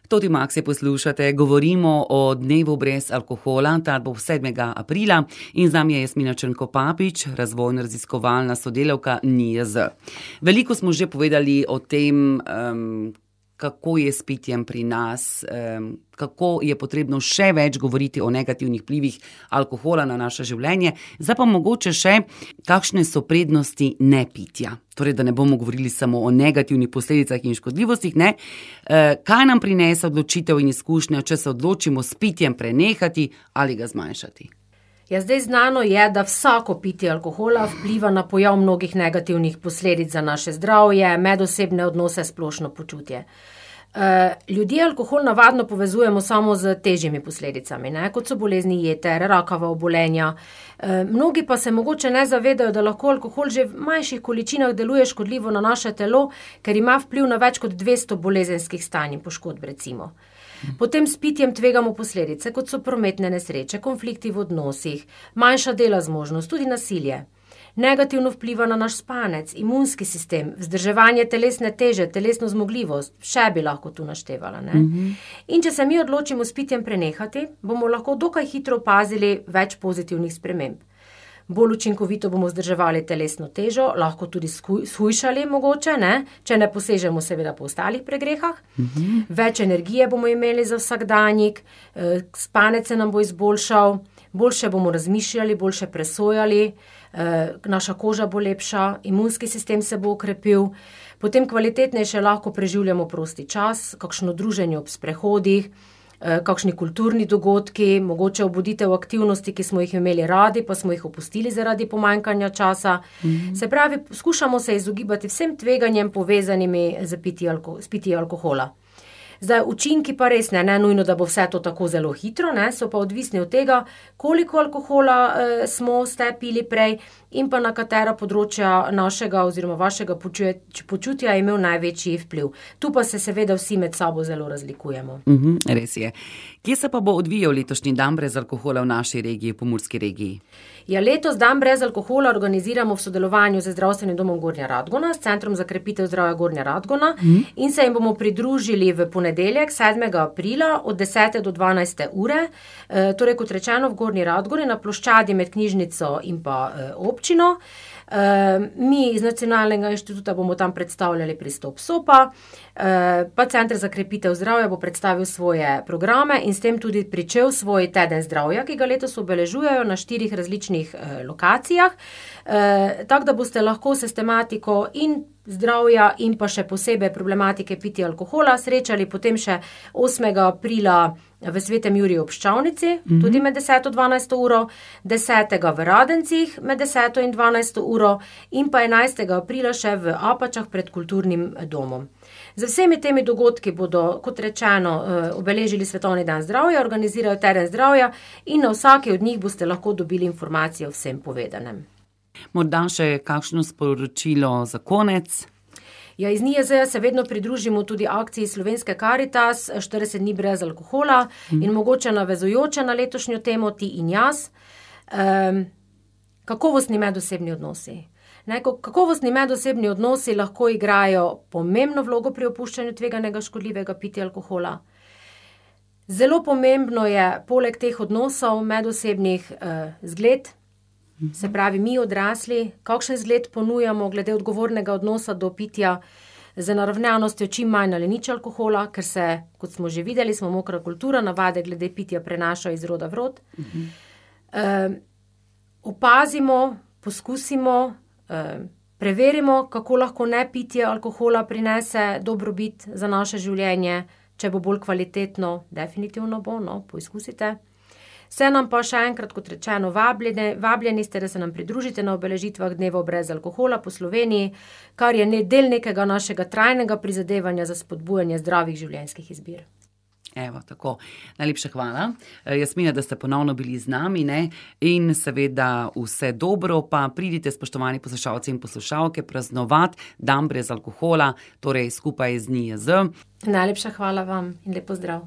Toti Maxi poslušate, govorimo o dnevu brez alkohola, ta bo 7. aprila in z nami je Jasmina Črnko-Papič, razvojno-raziskovalna sodelavka NIJZ. Veliko smo že povedali o tem, kako je s pitjem pri nas, kako je potrebno še več govoriti o negativnih vplivih alkohola na naše življenje, zdaj pa mogoče še, kakšne so prednosti nepitja. Torej, da ne bomo govorili samo o negativnih posledicah in škodljivostih, ne. Kaj nam prinese odločitev in izkušnja, če se odločimo s pitjem prenehati ali ga zmanjšati? Ja, zdaj znano je, da vsako pitje alkohola vpliva na pojav mnogih negativnih posledic za naše zdravje, medosebne odnose, splošno počutje. Ljudje alkohol navadno povezujemo samo z težjimi posledicami, ne, kot so bolezni jeter, rakava obolenja. Mnogi pa se mogoče ne zavedajo, da lahko alkohol že v manjših količinah deluje škodljivo na naše telo, ker ima vpliv na več kot 200 bolezenskih stanj in poškodb, recimo. Potem s pitjem tvegamo posledice, kot so prometne nesreče, konflikti v odnosih, manjša dela zmožnost, tudi nasilje. Negativno vpliva na naš spanec, imunski sistem, vzdrževanje telesne teže, telesno zmogljivost, še bi lahko tu naštevala, ne. In če se mi odločimo s pitjem prenehati, bomo lahko dokaj hitro opazili več pozitivnih sprememb. Bolj učinkovito bomo vzdrževali telesno težo, lahko tudi shujšali mogoče, ne, če ne posežemo seveda po ostalih pregrehah. Več energije bomo imeli za vsakdanjik, spanec se nam bo izboljšal, boljše bomo razmišljali, boljše presojali, naša koža bo lepša, imunski sistem se bo okrepil, potem kvalitetnejše lahko preživljamo prosti čas, kakšno druženje ob sprehodih, kakšni kulturni dogodki, mogoče obuditev aktivnosti, ki smo jih imeli radi, pa smo jih opustili zaradi pomanjkanja časa. Se pravi, skušamo se izogibati vsem tveganjem povezanimi s pitjem alkohola. Zdaj, učinki pa res ne nujno, da bo vse to tako zelo hitro, ne, so pa odvisni od tega, koliko alkohola ste pili prej in pa na katera področja našega oziroma vašega počutja je imel največji vpliv. Tu pa se seveda vsi med sabo zelo razlikujemo. Res je. Kje se pa bo odvijal letošnji dan brez alkohola v naši regiji, Pomurski regiji? Ja, letos dan brez alkohola organiziramo v sodelovanju z Zdravstvenim domom Gornja Radgona, s Centrom za krepitev zdravja Gornja Radgona in se jim bomo pridružili v ponedeljek, 7. aprila od 10. do 12. ure, torej kot rečeno v Gornji Radgoni na ploščadi med knjižnico in pa občino. Mi iz Nacionalnega inštituta bomo tam predstavljali pristop SOPA, pa Center za krepitev zdravja bo predstavil svoje programe in s tem tudi pričel svoj teden zdravja, ki ga letos obeležujejo na 4 različnih lokacijah, tako da boste lahko s tematiko in zdravja in pa še posebej problematike pitja alkohola srečali potem še 8. aprila v Svetem Juriju ob Ščavnici, tudi med 10. in 12. uro, 10. v Radencih med 10. in 12. uro in pa 11. aprila še v Apačah pred kulturnim domom. Z vsemi temi dogodki bodo, kot rečeno, obeležili Svetovni dan zdravja, organizirajo teden zdravja in na vsaki od njih boste lahko dobili informacije o vsem povedanem. Morda še kakšno sporočilo za konec? Ja, iz NIJZ se vedno pridružimo tudi akciji Slovenske Karitas, 40 dni brez alkohola in mogoče navezujoče na letošnjo temo Ti in jaz. Kakovostni medosebni odnosi. Kakovostni medosebni odnosi lahko igrajo pomembno vlogo pri opuščanju tveganega škodljivega pitja alkohola. Zelo pomembno je poleg teh odnosov medosebnih zgled, se pravi mi odrasli, kakšen zgled ponujamo glede odgovornega odnosa do pitja z naravnanostjo čim manj ali nič alkohola, ker se, kot smo že videli, smo mokra kultura, navade glede pitja prenašajo iz roda v rod. Opazimo, poskusimo, preverimo, kako lahko nepitje alkohola prinese dobrobit za naše življenje, če bo bolj kvalitetno, definitivno bo, poizkusite. Se nam pa še enkrat, kot rečeno, vabljeni ste, da se nam pridružite na obeležitvah dneva brez alkohola po Sloveniji, kar je del nekega našega trajnega prizadevanja za spodbujanje zdravih življenjskih izbir. Evo, tako. Najlepša hvala. Jasmina, da ste ponovno bili z nami, ne? In seveda vse dobro, pa pridite, spoštovani poslušalci in poslušalke, praznovati dan brez alkohola, torej skupaj z NIJZ. Najlepša hvala vam in lep pozdrav.